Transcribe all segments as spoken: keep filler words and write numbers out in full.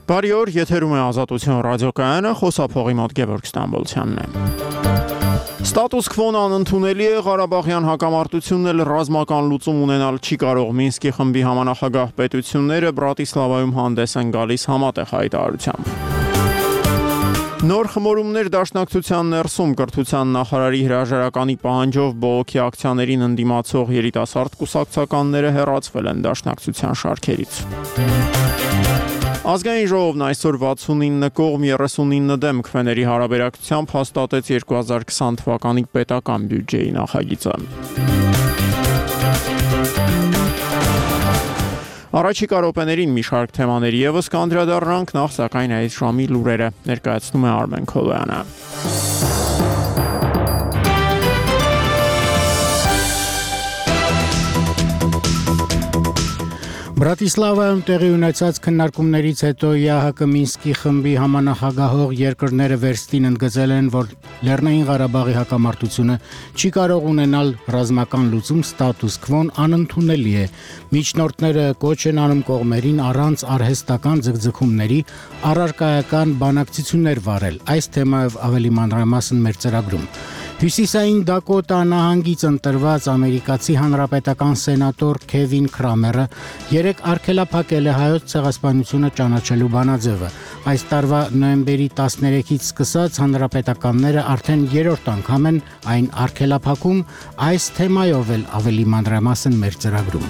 Բարի օր, եթերում է Ազատություն ռադիոկայանը, խոսափողի մոտ Գևորգ Ստամբոլցյանն է։ Ստատուս քվոն անընդունելի է, Ղարաբաղյան հակամարտությունն էլ ռազմական լուծում ունենալ չի կարող։ Մինսկի խմբի համանախագահ պետությունները Բրատիսլավայում հանդես են գալիս համատեղ հայտարարությամբ։ Նոր խմորումներ Դաշնակցության ներսում կրթության նախարարի հրաժարականի պահանջով բողոքի ակցիաներին ընդդիմացող երիտասարդ կուսակցականները հեռացվել են Դաշնակցության շարքերից։ Ազգային ժողովն այսօր վաթսունինը կողմ երեսունինը դեմ քվեների հարաբերակցությամբ հաստատեց երկու հազար քսան թվականի պետական բյուջեի նախագիծը։ Առաջիկա րոպեներին մի շարք թեմաների ևս կանդրադառնանք, նախ սակայն այս ժամի լուրերը ներկայացնում է Արմեն Քոլոյանը։ Բրատիսլավայում տեղի ունեցած քննարկումներից հետո ԵԱՀԿ Մինսկի խմբի համանախագահող երկրները վերստին ընդգծել են, որ Լեռնային Ղարաբաղի հակամարտությունը չի կարող ունենալ ռազմական լուծում, ստատուս քվոն անընդունելի է։ Միջնորդները կոչ են անում կողմերին առանց արհեստական ձգձգումների առարկայական բանակցություններ վարել։ Այս թեմայով ավելի մանրամասն մեր ծրագրում։ Հյուսիսային Դակոտա նահանգից ընտրված ամերիկացի հանրապետական սենատոր Քևին Քրամերը երեք արգելափակել է հայոց ցեղասպանությունը ճանաչելու բանաձևը։ Այս տարվա նոյեմբերի տասներեքից սկսած հանրապետականները արդեն երրորդ անգամ են այն արգելափակում, այս թեմայով էլ ավելի մանրամասն մեր ծրագրում։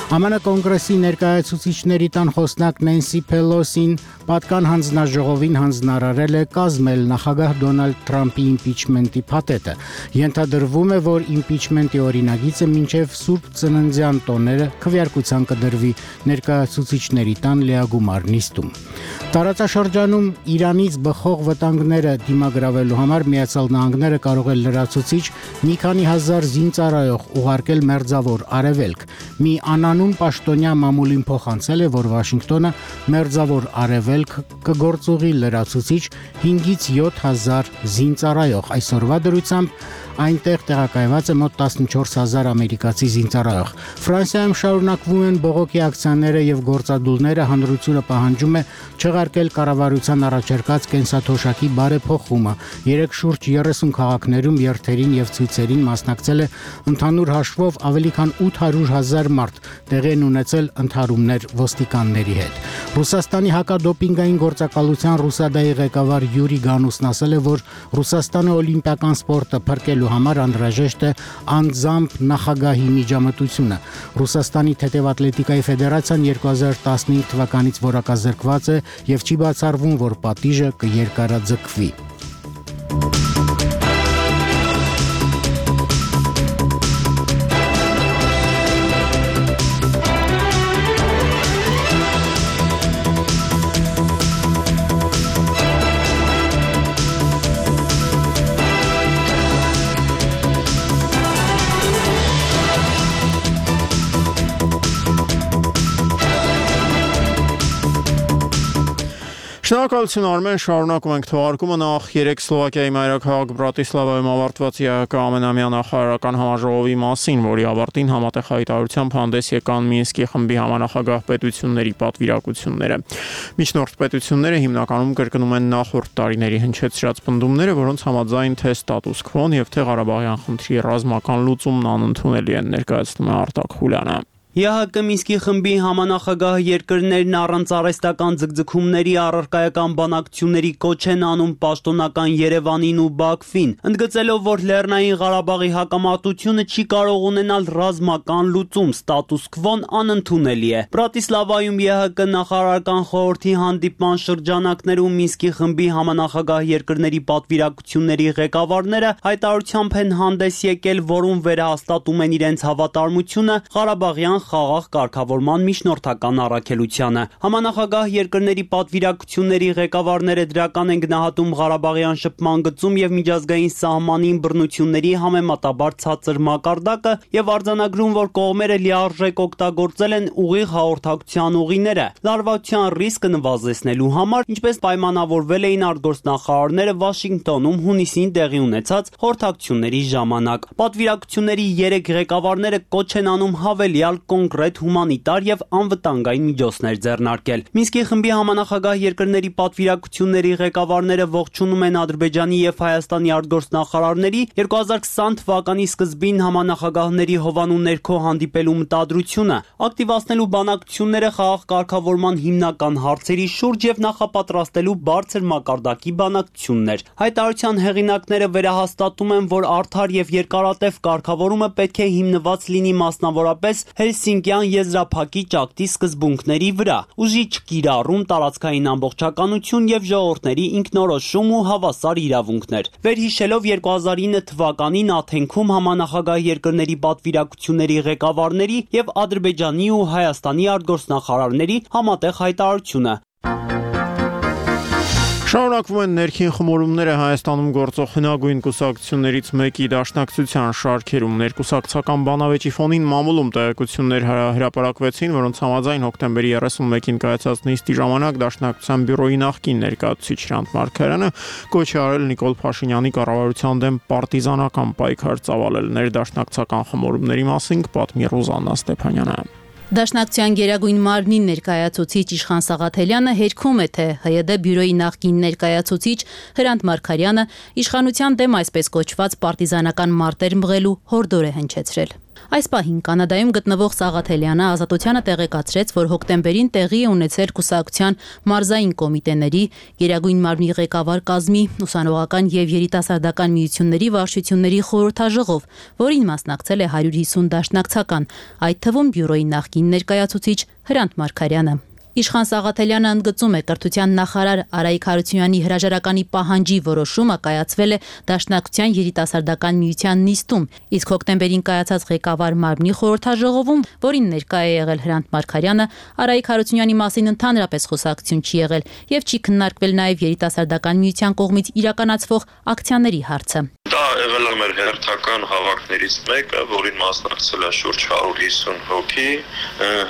ԱՄՆ կոնգրեսի ներկայացուցիչների տան խոսնակ Նենսի Փելոսին պատկան հանձնաժողովին հանձնարարել է կազմել նախագահ Դոնալդ Թրամփի իմպիչմենտի փաթեթը։ Ենթադրվում է, որ իմպիչմենտի օրինագիծը մինչև Սուրբ Ծննդյան տոները քվեարկության կդրվի ներկայացուցիչների տան լիագումար նիստում։ Տարածաշրջանում Իրանից բխող վտանգները դիմագրավելու համար Միացյալ Նահանգները կարող է լրացուցիչ մի քանի հազար զինծառայող ուղարկել Մերձավոր Արևելք։ Մի անանուն պաշտոնյա մամուլին փոխանցել է, որ Վաշինգտոնը Մերձավոր Արևելք կգործուղի լրացուցիչ հինգից յոթ հազար զինծառայող։ Այսօրվա դրությամբ այնտեղ տեղակայված է մոտ տասնչորս հազար ամերիկացի զինծառայող։ Ֆրանսիայում շարունակվում են բողոքի ակցիաները եւ գործադուլները, հանրությունը պահանջում է չեղարկել կառավարության առաջարկած կենսաթոշակի բարեփոխումը։ Երեք շուրջ երեսուն քաղաքներում երթերին եւ ցույցերին մասնակցել է ընդհանուր հաշվով ավելի քան ութ հարյուր հազար մարդ, տեղի են ունեցել ընդհարումներ ոստիկանների հետ։ Ռուսաստանի հակադոպինգային գործակալության Ռուսադայի ղեկավար Յուրի Գանուսն ասել է, որ Ռուսաստանը օլիմպիական սպորտը փրկելու համար անհրաժեշտ է անձամբ նախագահի միջամտությունը։ Ռուսաստանի թեթևատլետիկայի ֆեդերացիան երկու հազար տասնհինգ թվականից որակազրկված է եւ չի բացառվում, որ պատիժը կերկարաձգվի։ Շնորհակալություն Արմեն, շարունակում ենք թողարկումը։ Նախ երեք Սլովակիայի մայրաքաղաք Բրատիսլավայում ավարտված ԵԱՀԿ ամենամյա նախարարական համաժողովի մասին, որի ավարտին համատեղ հայտարարությամբ հանդես եկան Մինսկի խմբի համանախագահ պետությունների պատվիրակությունները։ Միջնորդ պետությունները հիմնականում կրկնում են նախորդ տարիների հնչեցրած պնդումները, որոնց համաձայն թե ստատուս քվոն եւ թե Ղարաբաղյան խնդրի ռազմական լուծումն անընդունելի են, ներկայացնում է Արտակ Խուլյանը։ ԵԱՀԿ Մինսկի խմբի համանախագահ երկրներն առանց արհեստական ձգձգումների առարկայական բանակցությունների կոչ են անում պաշտոնական Երևանին ու Բաքվին, ընդգծելով, որ Լեռնային Ղարաբաղի հակամարտությունը չի կարող ունենալ ռազմական լուծում, ստատուս քվոն անընդունելի է։ Բրատիսլավայում ԵԱՀԿ նախարարական խորհրդի հանդիպման շրջանակներում Մինսկի խմբի համանախագահ երկրների պատվիրակությունների ղեկավարները հայտարարությամբ են հանդես եկել, որում վերահաստատում են իրենց հավատարմությունը Ղարաբաղյան խաղաղ կարգավորման միջնորդական առաքելությանը։ Համանախագահ երկրների պատվիրակությունների ղեկավարները դրական են գնահատում Ղարաբաղյան շփման գծում եւ միջազգային սահմանին բռնությունների համեմատաբար ցածր մակարդակը եւ արձանագրում, որ կողմերը լիարժեք օգտագործել են ուղիղ հաղորդակցության ուղիները լարվածության ռիսկը նվազեցնելու համար, ինչպես պայմանավորվել էին արտգործնախարարները Վաշինգտոնում հունիսին տեղի ունեցած խորհրդակցությունների ժամանակ։ Պատվիրակությունների երեք ղեկավարները կոչ են անում հավելյալ կոնկրետ հումանիտար եւ անվտանգային միջոցներ ձեռնարկել։ Մինսկի խմբի համանախագահ երկրների պատվիրակությունների ղեկավարները ողջունում են Ադրբեջանի եւ Հայաստանի արտգործնախարարների երկու հազար քսան թվականի սկզբին համանախագահների հովանու ներքո հանդիպելու մտադրությունը, ակտիվացնելու բանակցությունները խաղաղ կարգավորման հիմնական հարցերի շուրջ եւ նախապատրաստելու բարձր մակարդակի բանակցություններ։ Հայտարարության հեղինակները վերահաստատում են, որ արդար եւ երկարատև կարգավորումը պետք է հիմնված լինի մասնավորապես Հելսինկյան եզրափակի ճակտի սկզբունքների վրա, ուժի չկիրառում, տարածքային ամբողջականություն եւ ժողովուրդների ինքնորոշում ու հավասար իրավունքներ։ Վերհիշելով երկու հազար ինը թվականին Աթենքում համանախագահ երկրների պատվիրակությունների ղեկավարների եւ Ադրբեջանի ու Հայաստանի արտգործնախարարների համատեղ հայտարարությունը։ Շարունակվում են ներքին խմորումները Հայաստանում գործող հնագույն կուսակցություններից մեկի դաշնակցության շարքերում։ Ներկուսակցական բանավեճի ֆոնին մամուլում տեղեկություններ հրապարակվեցին, որոնց համաձայն հոկտեմբերի երեսունմեկին կայացած նիստի ժամանակ դաշնակցության բյուրոյի նախկին ներկայացուցիչ Հրանտ Մարգարյանը կոչ է արել Նիկոլ Փաշինյանի կառավարության դեմ պարտիզանական պայքար ծավալել։ Ներդաշնակցական խմորումների մասին կպատմի Ռուզաննա Ստեփանյանը։ Դաշնակցության գերագույն մարմնի ներկայացուցիչ Իշխան Սաղաթելյանը հերքում է, թե ՀՅԴ բյուրոյի նախկին ներկայացուցիչ Հրանտ Մարգարյանը իշխանության դեմ այսպես կոչված պարտիզանական մարտեր մղելու հորդոր է հնչեցրել։ Այս պահին Կանադայում գտնվող Սաղաթելյանը Ազատությանը տեղեկացրեց, որ հոկտեմբերին տեղի է ունեցել կուսակցության մարզային կոմիտեների, գերագույն մարմնի ղեկավար կազմի, ուսանողական եւ երիտասարդական միությունների վարչությունների խորհրդաժողով, որին մասնակցել է հարյուր հիսուն դաշնակցական, այդ թվում բյուրոյի նախկին ներկայացուցիչ Հրանտ Մարգարյանը։ Իշխան Սաղաթելյանը ընդգծում է, կրթության նախարար Արայիկ Հարությունյանի հրաժարականի պահանջի որոշումը կայացվել է Դաշնակցության երիտասարդական միության նիստում, իսկ հոկտեմբերին կայացած ղեկավար մարմնի խորհրդաժողովում, որին ներկա է եղել Հրանտ Մարգարյանը, Արայիկ Հարությունյանի մասին ընդհանրապես խոսակցություն չի եղել եւ չի քննարկվել նաեւ երիտասարդական միության կողմից իրականացվող ակցիաների հարցը։ Դա եղել է մեր հերթական հավաքներից մեկը, որին մասնակցել է շուրջ հարյուր հիսուն հոգի։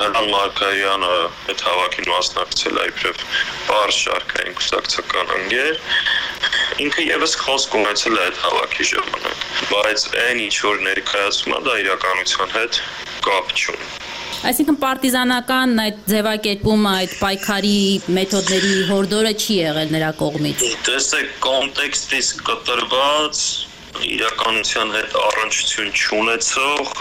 Հրանտ Մարգարյանը այդ հավաքին մասնակցել է իբրև բարձ շարքային կուսակցական ընկեր։ Ինքը եւս խոսք ունեցել է այդ հավաքի ժամանակ, բայց այն ինչ որ ներկայացում է, դա իրականության հետ կապ չունի։ Այսինքն պարտիզանական այդ ձևակերպումը, այդ պայքարի մեթոդների հորդորը չի եղել նրա կողմից։ Տեսեք, կոնտեքստից կտրված իրականության հետ առնչություն չունեցող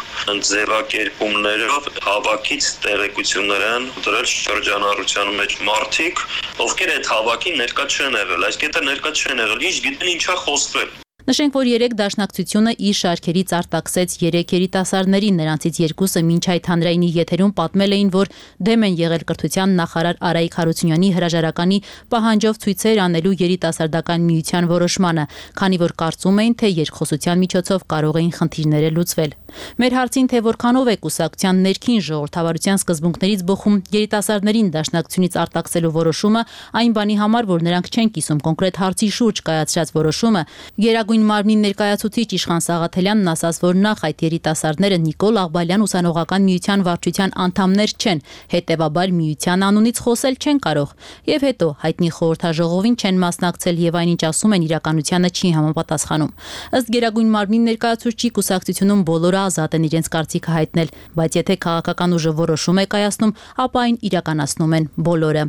ձևակերպումներով հավաքից տեղեկություններ են դրել շրջանառության մեջ մարդիկ, ովքեր այդ հավաքին ներկա չեն եղել, այս կետը ներկա չեն եղել, ինչ գիտեն ինչա խոսվել։ Նշենք, որ երեք դաշնակցությունը իր շարքերից արտաքսեց երեք երիտասարդներին, նրանցից երկուսը մինչ այդ հանրայինի եթերում պատմել էին, որ դեմ են եղել կրթության նախարար Արայիկ Հարությունյանի հրաժարականի պահանջով ցույցեր անելու երիտասարդական միության որոշմանը, քանի որ կարծում էին, թե երկխոսության միջոցով կարող էին խնդիրները լուծվել։ Մեր հարցին, թե որքանով է կուսակցության ներքին ժողովրդավարության սկզբունքներից բխում երիտասարդներին դաշնակցությունից արտաքսելու որոշումը, այն բանի համար, որ նրանք չեն կիսում կոնկրետ հարցի շուրջ կայացրած որոշումը, գերագույն մարմնի ներկայացուցիչ Իշխան Սաղաթելյանն ասաց, որ նախ այդ երիտասարդները Նիկոլ Աղբալյան ուսանողական միության վարչության անդամներ չեն, հետևաբար միության անունից խոսել չեն կարող, եւ հետո հայտնի խորհրդաժողովին չեն մասնակցել եւ այնինչ ասում են իրականությանը չի համապատասխանում։ Ըստ գերագույն մարմնի ներկայացուցչի կուսակցությունում բոլորը ազատ են իրենց կարծիքը հայտնել, բայց եթե քաղաքական ուժը որոշում է կայացնում, ապա այն իրականացնում են բոլորը։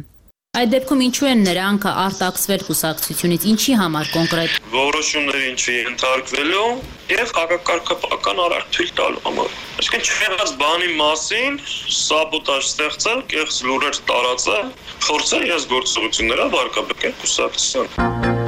Այդ դեպքում ինչու են նրանք արտաքսվել կուսակցությունից, ինչի համար կոնկրետ։ Որոշումներին չընդհարկվելու եւ հակակարգապահական արարք թույլ տալու համար։ Այսինքն չեղած բանի մասին սաբոտաժ ստեղծել, կեղծ լուրեր տարածել, խորցել իրենց գործողությունները վարկաբեկել կուսակցության։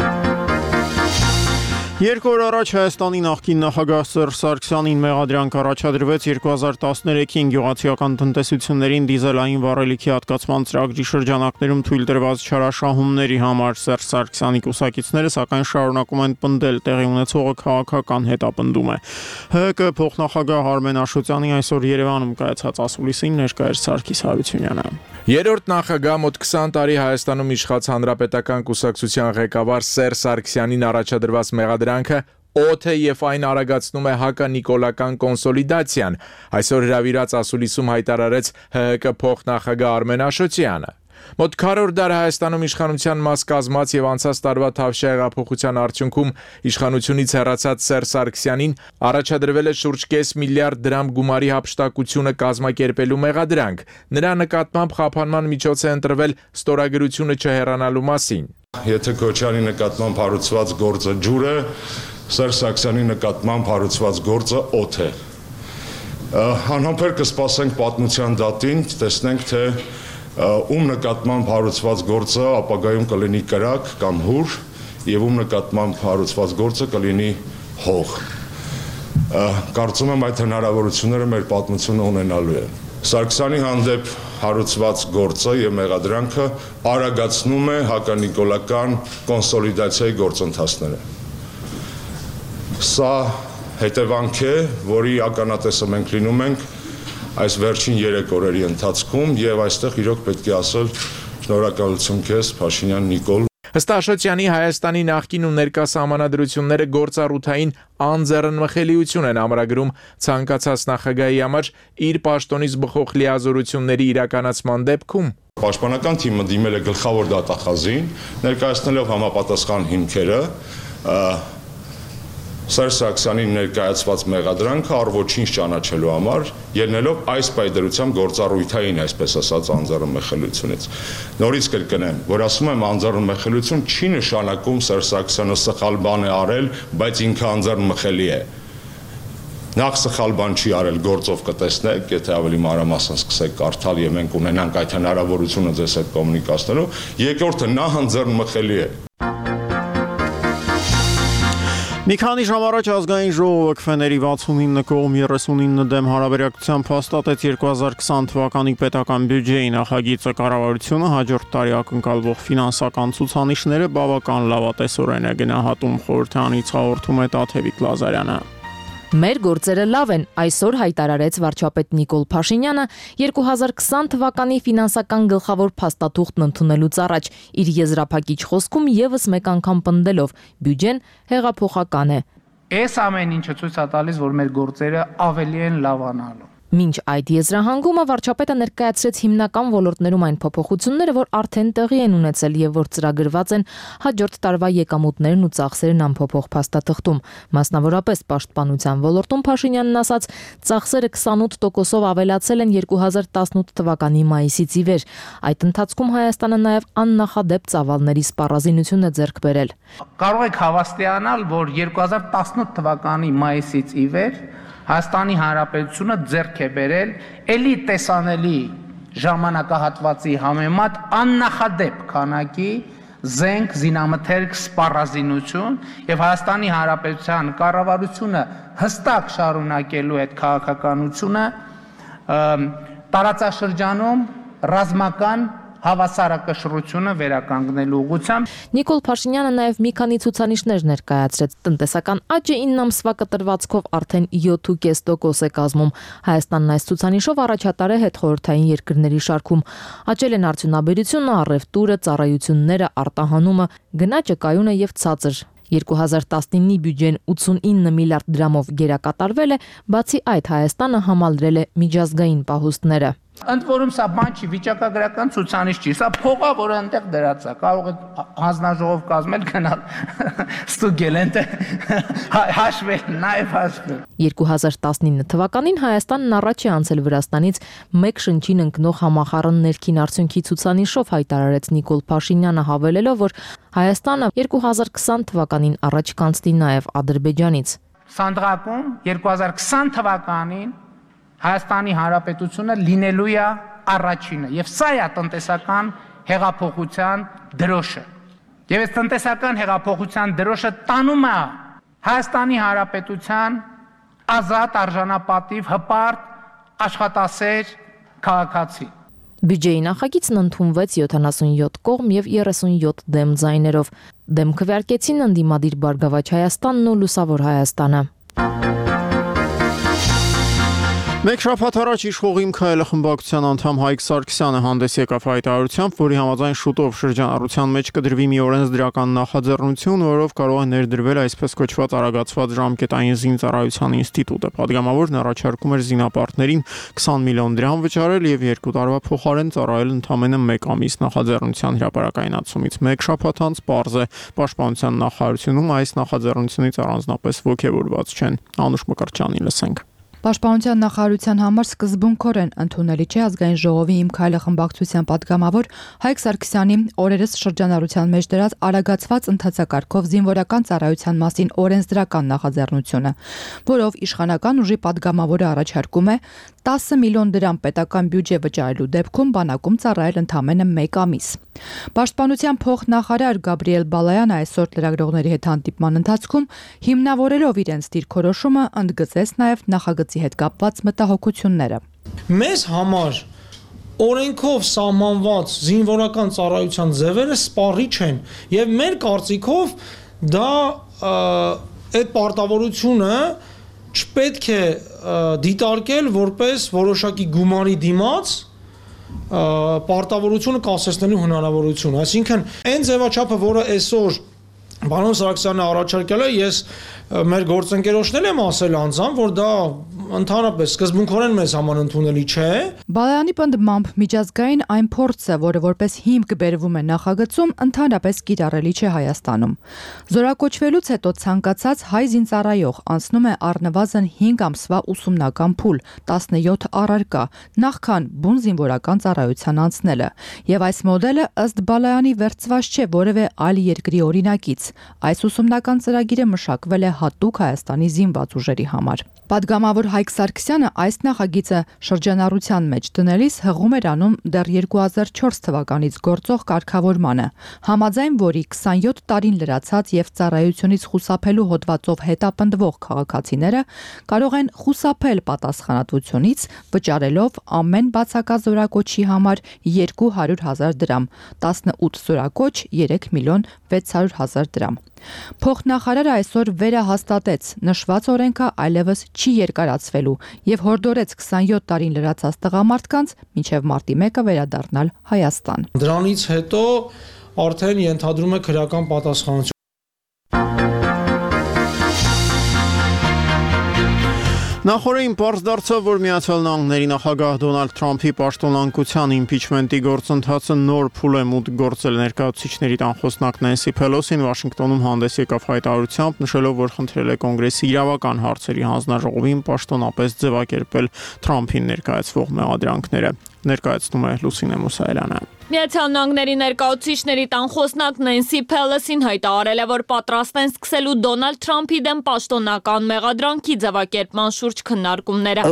Երկու օր առաջ Հայաստանի նախկին նախագահ Սերժ Սարգսյանին մեղադրանք առաջադրվեց երկու հազար տասներեքին գյուղացիական տնտեսություններին դիզելային վառելիքի հատկացման ծրագրի շրջանակներում թույլ տրված չարաշահումների համար։ Սերժ Սարգսյանի կուսակիցները սակայն շարունակում են պնդել, տեղի ունեցողը քաղաքական հետապնդում է։ ՀՀԿ փոխնախագահ Արմեն Աշոտյանի այսօր Երևանում կայացած ասուլիսին ներկա էր Սարգիս Հարությունյանը։ Երրորդ նախագահ մոտ քսան տարի Հայաստանում իշխած հանրապետական կուսակցության ղեկավար Սերժ Սարգսյանին առաջադրված մեղադրանքը օդ է եւ այն արագացնում է հականիկոլական կոնսոլիդացիան, այսօր հրավիրած ասուլիսում հայտարարեց ՀՀԿ փոխնախագահ Արմեն Աշոտյանը։ Մոտ քառորդ դար Հայաստանում իշխանության մաս կազմած եւ անցած տարվա Թավշյա հեղափոխության արդյունքում իշխանությունից հեռացած Սերժ Սարգսյանին առաջադրվել է շուրջ կես միլիարդ դրամ գումարի հափշտակությունը կազմակերպելու մեղադրանք։ Նրա նկատմամբ խափանման միջոց է ընտրվել ստորագրությունը չհեռանալու մասին։ Եթե Քոչարյանի նկատմամբ հարուցված գործը ջուր է, Սերժ Սարգսյանի նկատմամբ հարուցված գործը օդ է։ Անհամբեր կսպասենք պատմության դատին, տեսնենք թե ում նկատմամբ հարուցված գործը ապագայում կլինի կրակ կամ հուր եւ ում նկատմամբ հարուցված գործը կլինի հող։ Կարծում եմ այդ հնարավորությունները մեր պատմությունը ունենալու է։ Սարգսյանի հանդեպ հարուցված գործը եւ մեղադրանքը արագացնում է հականիկոլական կոնսոլիդացիայի գործընթացները։ Սա հետևանք է, որի ականատեսը մենք լինում ենք այս վերջին երեք օրերի ընթացքում եւ այստեղ իրոք պետք է ասել շնորհակալություն քեզ Փաշինյան Նիկոլ։ Ըստ Աշոտյանի Հայաստանի նախկին ու ներկա սահմանադրությունները գործառութային անձեռնմխելիություն են ամրագրում ցանկացած նախագահի համար իր պաշտոնից բխող լիազորությունների իրականացման դեպքում։ Պաշտպանական թիմը դիմել է գլխավոր դատախազին, ներկայացնելով համապատասխան հիմքերը, Սերժ Սարգսյանին ներկայացված մեղադրանքը առ ոչինչ ճանաչելու համար, ելնելով այս պայդրությամբ գործառույթային, այսպես ասած, անձեռնմխելիությունից։ Նորից կրկնեմ, որ ասում եմ անձեռնմխելիություն չի նշանակում Սերժ Սարգսյանը սխալ բան է արել, բայց ինքը անձեռնմխելի է։ Նախ սխալ բան չի արել, գործով կտեսնեք, եթե ավելի մանրամասն սկսեք կարդալ եւ մենք ունենանք այդ հնարավորությունը ձեզ հետ կոմունիկացնելու, երկրորդը նա անձեռնմխելի է։ Մի քանի ժամ առաջ ազգային ժողովը քվեների վաթսունինը կողմ երեսունինը դեմ հարաբերակցությամբ հաստատեց երկու հազար քսան թվականի պետական բյուջեի նախագիծը։ Կառավարությունը հաջորդ տարի ակնկալվող ֆինանսական ցուցանիշները բավական լավատեսորեն է գնահատում, խորհրդարանից հաղորդում է Տաթևիկ Լազարյանը։ Մեր գործերը լավ են, այսօր հայտարարեց վարչապետ Նիկոլ Փաշինյանը երկու հազար քսան թվականի ֆինանսական գլխավոր փաստաթուղթն ընդունելուց առաջ իր եզրափակիչ խոսքում եւս մեկ անգամ պնդելով բյուջեն հեղափոխական է։ Այս ամեն ինչը ցույց է տալիս, որ մեր գործերը ավելի են լավանալու։ Մինչ այդ եզրահանգումը վարչապետը ներկայացրեց հիմնական ոլորտներում այն փոփոխությունները, որ արդեն տեղի են ունեցել եւ որ ծրագրված են հաջորդ տարվա եկամուտներն ու ծախսերն անփոփոխ փաստաթղթում։ Մասնավորապես պաշտպանության ոլորտում Փաշինյանն ասաց, ծախսերը քսանութ տոկոսով ավելացել են երկու հազար տասնութ թվականի մայիսից ի վեր։ Այդ ընթացքում Հայաստանը նաեւ աննախադեպ ծավալների սպառազինություն է ձեռք բերել։ Կարող եք հավաստիանալ, որ երկու հազար տասնութ թվականի մայիսից ի վեր Հայաստանի Հանրապետությունը ձեռք է բերել էլի տեսանելի ժամանակահատվածի համեմատ աննախադեպ քանակի զենք, զինամթերք, սպառազինություն եւ Հայաստանի Հանրապետության կառավարությունը հստակ շարունակելու այդ քաղաքականությունը տարածաշրջանում ռազմական հավասարակշռությունը վերականգնելու ուղղությամբ։ Նիկոլ Փաշինյանը նաև մի քանի ցուցանիշներ ներկայացրեց։ Տնտեսական աճը ինը ամսվա կտրվածքով արդեն յոթ կես տոկոս է կազմում։ Հայաստանն այս ցուցանիշով առաջատար է հետխորհրդային երկրների շարքում։ Աճել են արդյունաբերությունը, առևտուրը, ծառայությունները, արտահանումը, գնաճը կայուն է եւ ցածր։ երկու հազար տասնինի բյուջեն ութսունինը միլիարդ դրամով գերակատարվել է, բացի այդ Հայաստանը համալրել է միջազգային պահուստները։ Ընդ որում սա բան չի, վիճակագրական ցուցանիշ չի, սա փող է, որը այնտեղ դրած է, կարող է հանձնաժողով կազմել, գնալ ստուգել այնտեղ հաշվել, նաև հաշվել։ երկու հազար տասնինը թվականին Հայաստանն առաջ է անցել Վրաստանից մեկ շնչին ընկնող համախառն ներքին արդյունքի ցուցանիշով, հայտարարեց Նիկոլ Փաշինյանը, հավելելով, որ Հայաստանը երկու հազար քսան թվականին առաջ կանցնի նաև Ադրբեջանից։ Սանդղակում երկու հազար քսան թվականին Հայաստանի Հանրապետությունը լինելու է առաջինը եւ սա է տնտեսական հեղափոխության դրոշը։ Եվ այս տնտեսական հեղափոխության դրոշը տանում է Հայաստանի Հանրապետության ազատ, արժանապատիվ, հպարտ, աշխատասեր քաղաքացի։ Բյուջեի նախագիծն ընդունվեց յոթանասունյոթ կողմ եւ երեսունյոթ դեմ ձայներով։ Դեմ քվեարկեցին ընդդիմադիր Բարգավաճ Հայաստանն ու Լուսավոր Հայաստանը։ Մեկ շաբաթ առաջ իշխող Իմ քայլը խմբակցության անդամ Հայկ Սարգսյանը հանդես եկավ հայտարարությամբ, որի համաձայն շուտով շրջանառության մեջ կդրվի մի օրենսդրական նախաձեռնություն, որով կարող է ներդրվել այսպես կոչված արագացված ժամկետային զինծառայության ինստիտուտը։ Պատգամավորն առաջարկում էր զինապարտներին քսան միլիոն դրամ վճարել եւ երկու տարվա փոխարեն ծառայել ընդամենը մեկ ամիս նախաձեռնության հրապարակայնացումից մեկ շաբաթ անց պարզ է պաշտպանության նախարարությունում այս նախաձեռնությունից առանձնապես ոգևորված չեն։ Անուշ Մկրտչյանի լսենք։ Պաշտպանության նախարարության համար սկզբունքորեն ընդունելի չէ ազգային ժողովի Իմ քայլը խմբակցության պատգամավոր Հայկ Սարգսյանի օրերս շրջանառության մեջ դրած արագացված ընթացակարգով զինվորական ծառայության մասին օրենսդրական նախաձեռնությունը, որով իշխանական ուժի պատգամավորը առաջարկում է տասը միլիոն դրամ պետական բյուջե վճարելու դեպքում բանակում ծառայել ընդամենը մեկ ամիս։ Պաշտպանության փոխնախարար Գաբրիել Բալայանը այսօր լրագրողների հետ հանդիպման ընթացքում հիմնավորելով իրենց դիրքորոշումը ընդգծեց նաև նախագծի հետ կապված մտահոգությունները։ Մեզ համար օրենքով սահմանված զինվորական ծառայության ձևերը սպառիչ են եւ մեր կարծիքով դա այդ պարտավորությունը չպետք է դիտարկել որպես որոշակի գումարի դիմաց պարտավորությունը կասեցնելու հնարավորություն, այսինքն այն ձևաչափը, որը այսօր Պարոն Սարգսյանը առաջարկել է, ես մեր գործընկերոջներն եմ ասել անձամբ, որ դա ընդհանրապես սկզբունքորեն մեզ համար ընդունելի չէ։ Բալայանի պնդմամբ միջազգային այն փորձը, որը որպես հիմք բերվում է նախագծում, ընդհանրապես կիրառելի չէ Հայաստանում։ Զորակոչվելուց հետո ցանկացած հայ զինծառայող անցնում է առնվազն հինգ ամսվա ուսումնական փուլ, տասնյոթ առարկա, նախքան բուն զինվորական ծառայության անցնելը, եւ այս մոդելը ըստ Բալայանի վերցված չէ որևէ այլ երկրի օրինակից։ Այս ուսումնական ծրագիրը մշակվել է հատուկ Հայաստանի զինված ուժերի համար։ Պատգամավոր Հայկ Սարգսյանը այս նախագիծը շրջանառության մեջ դնելիս հղում էր անում դեռ երկու հազար չորս թվականից գործող կարգավորմանը, համաձայն որի քսանյոթ տարին լրացած եւ ծառայությունից խուսափելու հոդվածով հետապնդվող քաղաքացիները կարող են խուսափել պատասխանատվությունից վճարելով ամեն բացակայ զորակոչի համար երկու հարյուր հազար դրամ, տասնութ զորակոչ երեք միլիոն վեց հարյուր հազար դրամ։ Փոխնախարարը այսօր վերահաստատեց նշված օրենքը այլևս չի երկարացվելու եւ հորդորեց քսանյոթ տարին լրացած տղամարդկանց մինչեւ մարտի մեկը վերադառնալ Հայաստան։ Դրանից հետո արդեն ենթադրում է քրեական պատասխանատվություն։ Նախորդին պարզ դարձավ, որ Միացյալ Նահանգների նախագահ Դոնալդ Թրամփի պաշտոնանկության իմպիչմենտի գործընթացը նոր փուլ է մուտք գործել ներկայացուցիչների տան խոսնակ Նենսի Փելոսին Վաշինգտոնում հանդես եկավ հայտարարությամբ, նշելով, որ խնդրել է կոնգրեսի իրավական հարցերի հանձնաժողովին պաշտոնապես ձևակերպել Թրամփին ներկայացվող մեղադրանքները։ Ներկայացնում է Լուսինե Մուսայելյանը։ Միացյալ Նահանգների ներկայացուցիչների տան խոսնակ Նենսի Փելոսին հայտարարել է, որ պատրաստ են սկսելու Դոնալդ Թրամփի դեմ պաշտոնական մեղադրանքի ձևակերպման շուրջ քննարկումները։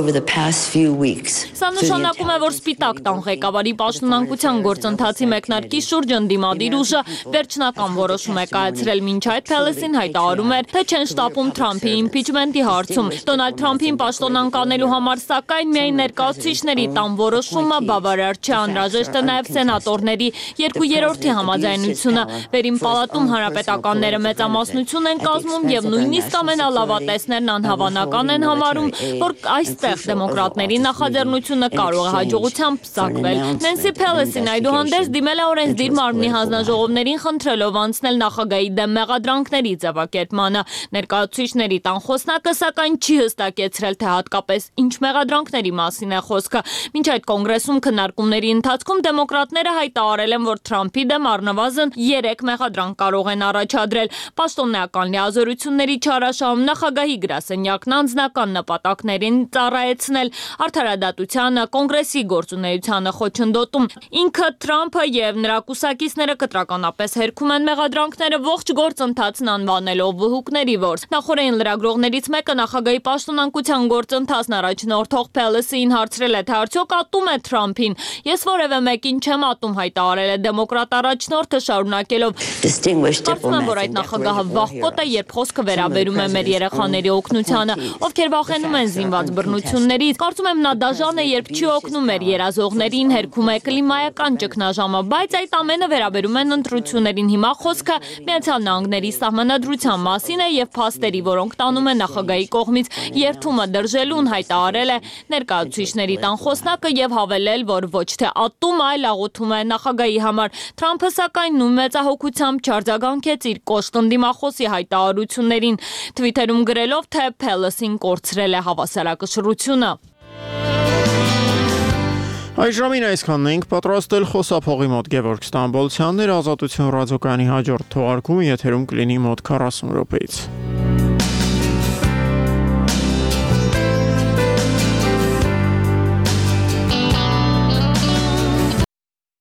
Սա նշանակում է, որ Սպիտակ տան ղեկավարի պաշտոնանկության գործընթացի մեկնարկի շուրջ ընդդիմադիր ուժը վերջնական որոշում է կայացրել, մինչ այդ Փելոսին հայտարարում էր, թե չեն շտապում Թրամփի իմպիչմենտի հարցում։ Դոնալդ Թրամփին պաշտոնանկանելու համար սակայն միայն ներկայացուցիչների տան որոշումը բավարար չէ, անհրաժեշտ է նաև սենատորների երկու երրորդի համաձայնությունը։ Վերին պալատում հանրապետականները մեծամասնություն են կազմում եւ նույնիսկ ամենալավատեսներն անհավանական են համարում, որ այստեղ դեմոկրատների նախաձեռնությունը կարող է հաջողությամբ պսակվել։ Նենսի Փելոսին այդուհանդերձ դիմել է օրենսդիր մարմնի հանձնաժողովներին խնդրելով անցնել նախագահի դեմ մեղադրանքների ձևակերպմանը։ Ներկայացուցիչների տան խոսնակը սակայն չի հստակեցրել, թե հատկապես ինչ մեղադրանքների մասին է խոսքը։ Մինչ այդ կոնգրեսում քննարկումների ընթացքում դեմոկրատները հայտարարել են, որ Թրամփի դեմ առնվազն երեք մեղադրանք կարող են առաջադրել։ Պաշտոնեական լիազորությունների չարաշահում, նախագահի գրասենյակն անձնական նպատակներին ծառայեցնել, արդարադատությանը, կոնգրեսի գործունեությանը խոչընդոտում։ Ինքը Թրամփը եւ նրա կուսակիցները կտրականապես հերքում են մեղադրանքները ողջ գործընթացն անվանելով վհուկների որս։ Նախորդին լրագրողներից մեկը նախագահի պաշտոնանկության գործընթացն առաջնորդող Փելոսին հարցրել է, թե արդյոք ատում է Թրամփին։ Ես որևէ մեկին չեմ ատում, հայտարարել է դեմոկրատ առաջնորդը, շարունակելով. Կարծում եմ, որ այդ նախագահը վախկոտ է, երբ խոսքը վերաբերում է մեր երեխաների օգնությանը, ովքեր վախենում են զինված բռնություններից։ Կարծում եմ, նա դաժան է, երբ չի օգնում մեր երազողներին, հերքում է կլիմայական ճգնաժամը, բայց այդ ամենը վերաբերում են ընտրություններին։ Հիմա խոսքը Միացյալ Նահանգների սահմանադրության մասին է եւ փաստերի, որոնք տանում է նախագահի կողմից երթումը դրժելուն, հայտարարել է ներկայացուցիչների տան խոսնակը եւ հավելել, որ ոչ թե ատում, այլ աղոթում է նախագահի համար։ Թրամփը սակայն նույն մեծահոգությամբ չարձագանքեց իր կոշտ ընդդիմախոսի հայտարարություններին, Twitter-ում գրելով, թե Pelosi-ն կորցրել է հավասարակշռությունը։ Այժմին այսքանն ենք պատրաստել խոսափողի մոտ Գևորգ Ստամբոլցյանն էր, Ազատություն ռադիոկայանի հաջորդ թողարկումը եթերում կլինի մոտ քառասուն րոպեից։